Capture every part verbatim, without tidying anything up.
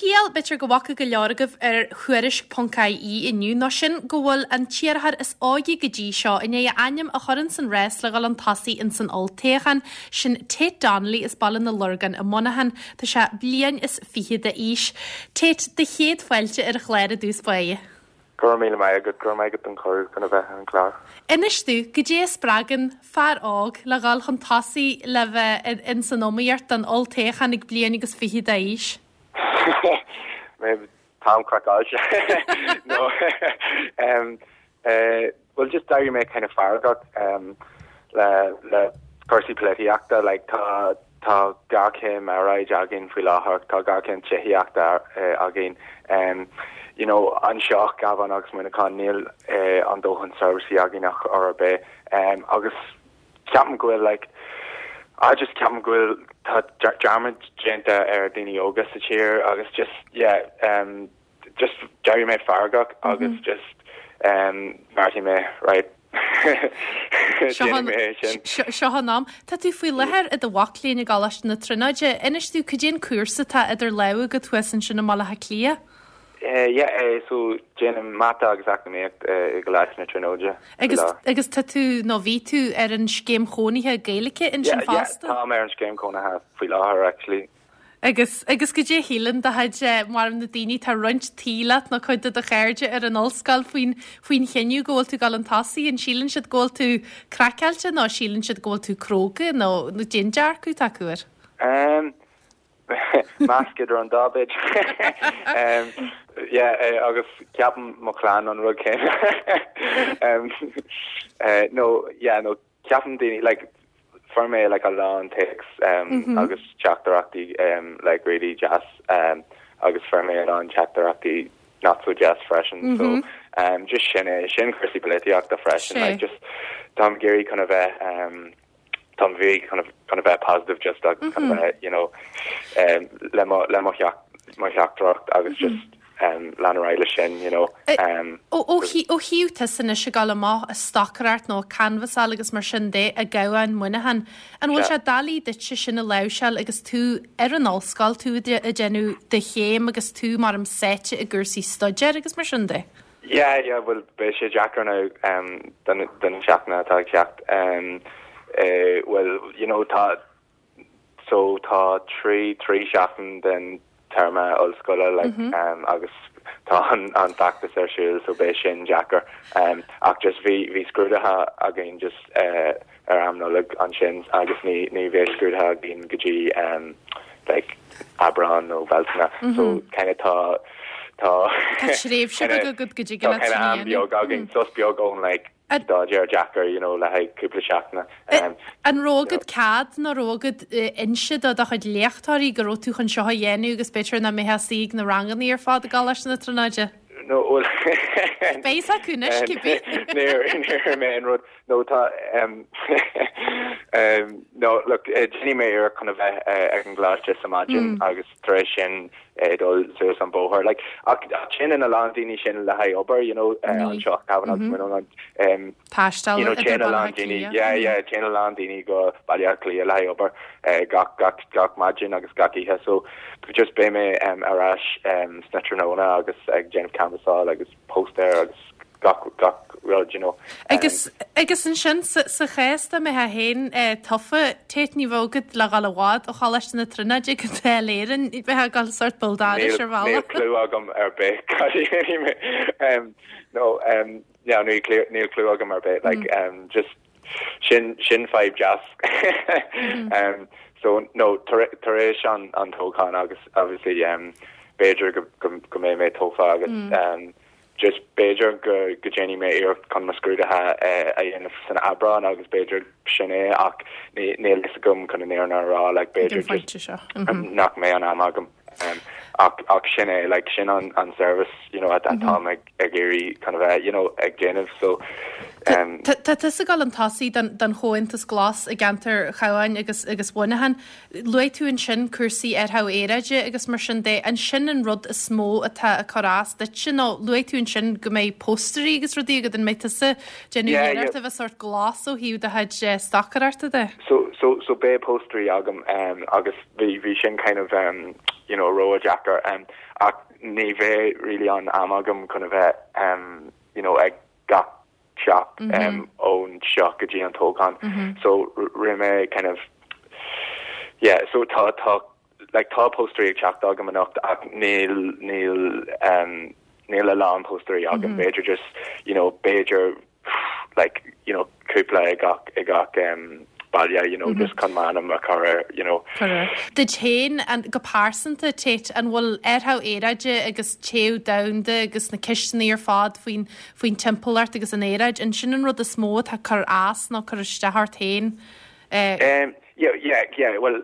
scéal b'fhéidir go bhfaca go leor agaibh ar Thuairisc ponc I E inniu ná sin go bhfuil an t-iarrthóir is óige go dtí seo i ndiaidh a ainm a chur ins an rás le dhul chun tosaigh ins an olltoghchán, sin Tate Donnelly as Baile na Lorgan i Muineachán. Tá sé bliain is fiche d'aois. Tate, do chéad fáilte ar an chlár i dtús báire. Go raibh míle maith agat, go raibh maith agat don chuireadh chun a bheith ar an chlár. Inis domh, goidé a spreagann fear óg le dhul chun tosaigh le bheith in san iomaíocht don olltoghchán ag bliain agus fiche d'aois? Mé táim craiceáilte. No um, uh, well just d'éirigh mé kind of feargach um, le le cúrsaí polaitíochta, like tá tá géarchéim aeráide againn faoi láthair, tá géarchéim tithíochta uh, againn. Um, you know, anseo Cabhán agus Muineachán níl uh, an dóthain seirbhísí againn ach ar bith um, agus ceapaim go bhfuil like I just ceapaim go bhfuil tá dearmad déanta ar daoine óga sa tír agus just yeah um, just d'éirigh mé feargach agus mm -hmm. just um, bheartaigh mé, right, seo an am. Tá tú faoi láthair i do mhac léinn i gColáiste na Tríonóide. Inis domh cad é an cúrsa atá idir lámha agat thuas ansin i mBaile Átha Cliath? Uh, yeah, uh, so déanaim mata agus eacnamaíocht uh, i gColáiste na Tríonóide. Agus agus tá tú nó bhí tú ar an scéim chónaithe Gaeilge ansin yeah, fosta? Yeah, tá mé ar an scéim chónaithe faoi láthair actually. Agus agus goidé a shíleann do chuid mar na daoine tá roinnt tí leat nó cuid de do chairde ar an ollscoil faoin faoin chinneadh go bhfuil tú ag dul chun tosaigh? An síleann siad go bhfuil tú craiceáilte nó síleann siad go bhfuil tú cróga nó nó cén dearcadh atá acu air? Um, measc idir an dá bit. um, yeah, uh, agus ceapann mo chlann an rud céanna. um, uh, no, yeah, no, ceapann daoine like fuair mé like a lán texts um, mm -hmm. agus teachtaireachtaí um, like really deas um, agus fuair mé a lán teachtaireachtaí not so deas freisin mm -hmm. so um, just sin é sin cúrsaí polaitíochta freisin, like just táim ag iarraidh chun a bheith um, Tá bhí kind of kind of bheith positive just mm -hmm. kind of bheith, you know um, le mo le mo mo theachtaireacht agus mm -hmm. just um, lean leis sin you know um, Ó thaobh tusa anois ag dul amach ag stocaireacht nó canbhasáil agus mar sin de i gCabhán, Muineachán. An bhfuil sé doiligh duit sin a láimhseáil agus tú ar an ollscoil, tú ag déanamh do chéim agus tú mar am sáite i gcúrsaí staidéir agus mar sin de? Yeah, yeah, well beidh sé deacair now um, don don seachtain atá ag teacht. Um, uh, well, you know, tá so tá trí trí seachtain den téarma ollscoile like, mm -hmm. um, agus tá an, an feachtas ar siúl, so beidh sin deacair um, ach just bhí bhí scrúduithe againn just uh, ar am Nollag ansin agus ní ní bheidh scrúduithe againn go dtí um, like Aibreán nó Bealtaine mm -hmm. so kind of tá tá tréimhse go go go dtí am beag againn, sos beag ón like staidéar deacair you know le haghaidh cúpla seachtaine. Um, an raibh agat cead nó raibh agat inse do do chuid léachtóirí go raibh tú chun seo a dhéanamh agus b'fhéidir nach mbeifeá ag suí na ranganna ar fad i gColáiste na Tríonóide? No, well Beidh acu anois cibé. Níor mé an rud no tá um, um, no look déanfaidh mé iarracht chun a bheith uh, ag an gcoláiste sa maidin mm. agus tar éis sin uh, dul suas an bóthar like ach sin in a lán daoine sin le haghaidh obair you know uh, anseo Cabhán agus mm um, Taisteal you know téann a lán daoine yeah yeah téann a lán daoine go Baile Átha Cliath le haghaidh obair uh, gach gach gach maidin agus gach oíche, so just beidh mé um, ar ais um, sna tráthnóna agus ag déanamh canbhasáil agus póstaer agus gach gach rud you know. Agus agus ansin sa sa chás dá mbeifeá féin tofa, Tate, ní bheadh agat le dhul i bhfad ó Choláiste na Tríonóide go Dáil Éireann, bheifeá ag dul sórt Buldáris ar bhealach. Níl clue agam ar bith cad a dhéanfaidh mé. um, no um, yeah, níl clue níl clue agam ar bith like mm. um, just sin sin fadhb deas. mm. um, so no tar tar éis an an toghchán agus obviously um, b'fhéidir go go go mbeidh mé tofa agus mm. um, just b'fhéidir go go déanfaidh mé iarracht chun mo scrúduithe uh, a dhéanamh san Aibreán agus b'fhéidir sin é ach ní níl fhios agam chun an fhírinne a rá like b'fhéidir just um, nach mbeidh an am agam um, ach ach sin é like sin an an service you know at that time ag ag iarraidh kind of uh, you know ag déanamh so um, Tá tusa ag dul chun tosaigh don don Chomhaontas Glas i gceantar Chabháin agus agus Mhuineacháin. Luaigh tú ansin cúrsaí ar thaobh aeráide agus mar sin de, an sin an rud is mó atá ag cur as duit nó luaigh tú ansin go mbeidh póstairí agus rudaí agat, an mbeidh tusa déanamh Yeah, iarracht yeah. a bheith sórt glas ó thaobh do chuid eh, stocaireachta de? so so so beidh póstairí agam um, agus bhí bhí sin kind of um, you know ró deacair um, ach ní bheidh really an am agam chun a bheith um, you know ag gach teach mm -hmm. um, ón seo go dtí an toghchán mm -hmm. so rinne mé kind of yeah so tá tá like tá póstaerí ag teacht agam anocht ach níl níl um, níl a lán póstaerí agam mm -hmm. b'fhéidir just you know b'fhéidir like you know cúpla ag gach ag gach um, baile you know mm -hmm. just chun m'ainm a chur you know Duit féin an go pearsanta Tate an bhfuil athrú aeráide agus téamh domhanda agus na ceisteanna ar fad faoin faoin timpeallacht agus an aeráid an sin an rud is mó atá cur as nó cur isteach ort féin uh, um, yeah yeah yeah well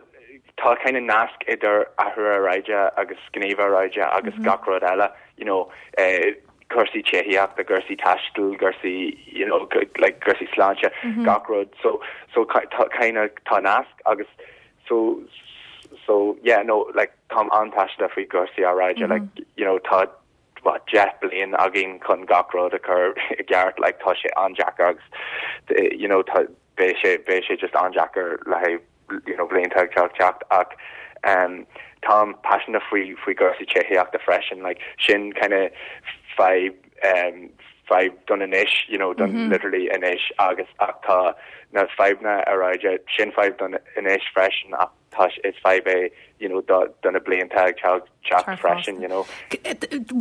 tá kind of nasc idir athrú aeráide agus gníomh aeráide agus mm -hmm. gach rud eile you know uh, cúrsaí tithíochta cúrsaí taistil cúrsaí you know like cúrsaí sláinte mm -hmm. gach rud so so kind of tá nasc agus so so yeah no like táim an-phaiseanta faoi cúrsaí aeráide mm -hmm. like you know tá what deich bliain againn chun gach rud a chur i gceart like tá sé an-deacair agus you know tá beidh sé beidh sé just an-deacair le you know blianta ag teacht ach um táim paiseanta faoi faoi cúrsaí tithíochta freisin like sin kind of fadhb um fadhb don anois you know don mm -hmm. literally anois agus ach tá na fadhbanna aeráide sin fadhb don anois freisin ach tá is fadhb é you know do do na blianta ag teacht freisin you know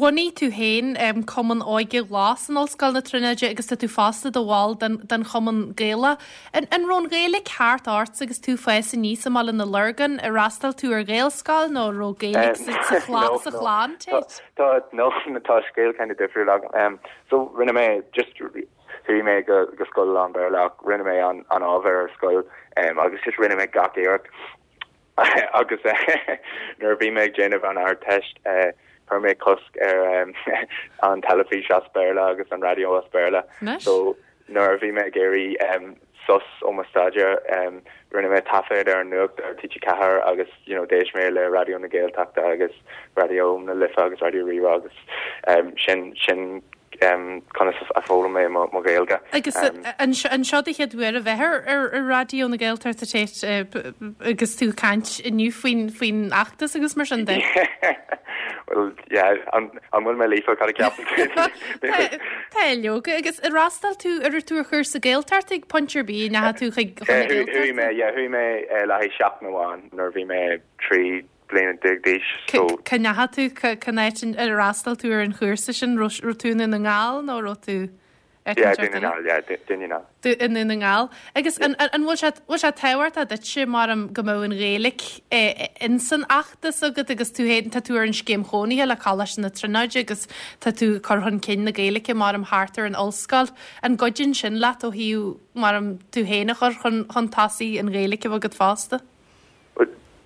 Bhunaigh tú féin um, Cumann Óige Glas in Ollscoil na Tríonóide agus tá tú fosta i do bhall den, den Chumann Gaelach. An, an raibh an Ghaeilge thart ort agus tú ag fás aníos i mBaile na Lorgan ar fhreastail tú ar Ghaelscoil nó raibh Gaeilge sa chlann Tá no tá scéal kind of difriúil agam um, so rinne mé just chuaigh mé go go scoil lán Béarla rinne mé an an ábhar ar scoil um, agus just rinne mé gach iarracht agus nuair bhí mé ag déanamh an Ardteist uh, chuir mé cosc ar um, an teilifís as Béarla agus an raidió as Béarla so nuair bhí mé ag iarraidh um, sos ó mo staidéar um, rinne mé taifead ar an nuacht ar TG Ceathair agus you know, d'éist mé le Raidió na Gaeltachta agus Raidió na Life agus Raidió Rí-Rá agus um, sin sin um, conas a fhoghlaim mé mo Ghaeilge. Agus um, an seo do chéad uair a bheith ar ar Raidió na Gaeltachta agus tú ag caint inniu faoin faoin fheachtas agus mar sin de. Well yeah, an bhfuil mé líofa cad ceap Tá leoga agus ar fhreastail tú ar tú ar chúrsa Gaeltachta ag pointe ar bith na tú chuig Chuaigh mé chuaigh mé le haghaidh seachtain amháin nuair bhí mé trí bliana déag d'aois so Cá ndeachaigh tú cén áit ar fhreastail tú ar an chúrsa sin raibh tú i nDún na nGall nó raibh tú i nDún na nGall. Agus an bhfuil sé bhfuil sé tábhachtach duit mar go mbeadh an Ghaeilge insan fheachtas agat agus tú féin tá tú ar an scéim chónaithe le Coláiste na Tríonóide agus tá tú cur chun cinn na Gaeilge mar am thart ar an ollscoil. An gcuidíonn sin leat ó thaobh mar am tú féin a chur chun chun tosaigh an Ghaeilge agat fosta?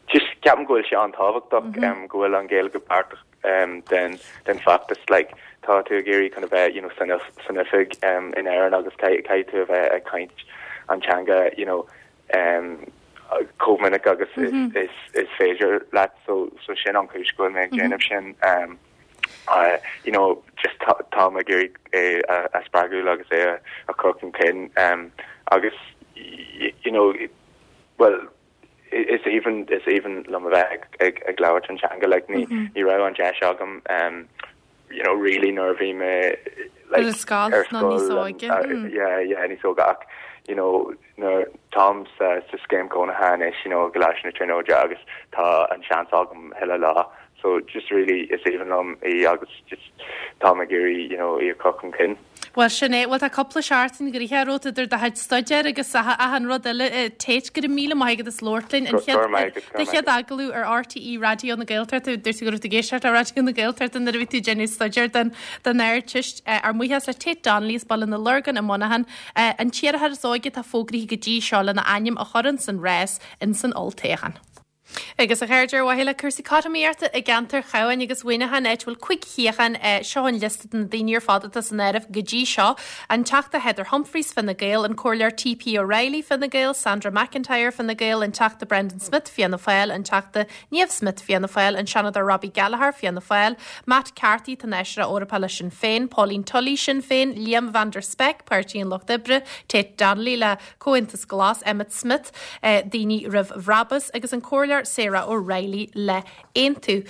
Just ceapaim go bhfuil sé an-tábhachtach mm -hmm. um, go bhfuil an Ghaeilge páirteach um, den den fheachtas like tá tú ag iarraidh chun a bheith you know san san oifig um, in Éirinn agus caithfidh tú a bheith ag caint an teanga you know um, chomh minic agus mm -hmm. is, is, is féidir leat so so sin an chúis go bhfuil mé ag déanamh sin um, uh, you know just tá ag iarraidh é a, a spreagadh agus é a, a chur chun cinn um, agus you know well is aoibhinn is aoibhinn liom a bheith ag, ag, ag labhairt an teanga like ní mm -hmm. ní raibh an deis agam um, you know really nuair a bhí mé like ar scoil níos óige yeah yeah níos óige ach you know nuair táim sa sa scéim cónaithe anois you know i gColáiste na Tríonóide agus tá an seans agam chuile lá so just really is aoibhinn liom í agus just táim ag iarraidh you know í a chur chun cinn. Well sin é well tá cúpla seachtain gnoitheach romhat idir do chuid staidéir agus achan rud eile Tate go raibh míle maith agat as labhairt linn an do chéad agallamh ar RTÉ Raidió na Gaeltachta dúirt tú go raibh tú ag éisteacht le Raidió na Gaeltachta nuair a bhí tú ag déanamh staidéir den den Ardteist ár mbuíochas le Tate Donnelly as Baile na Lorgan i Muineachán an t-iarrthóir is óige atá fógraithe go dtí seo lena ainm a chur san rás in san olltoghchán. Agus a chairde ar mhaithe le cúrsaí cothromaíochta i gceantar Chabháin agus Mhuineacháin áit a bhfuil cúig shuíochán seo an liosta de na daoine ar fad atá san áireamh go dtí seo. An Teachta Heather Humphreys Fine Gael, an Comhairleoir TP O'Reilly Fine Gael, Sandra McIntyre Fine Gael, an Teachta Brendan Smith Fianna Fáil, an Teachta Niamh Smith Fianna Fáil, an Seanadóir Robbie Gallagher Fianna Fáil, Matt Carthy Tánaiste Eorpach le Sinn Féin, Pauline Tully Sinn Féin, Liam van der Spek Páirtí an Lucht Oibre, Tate Donnelly le Comhaontas Glas, Emmet Smith, eh, Daoine Roimh Bhrabús agus an Comhairleoir Sarah O'Reilly le Aontú.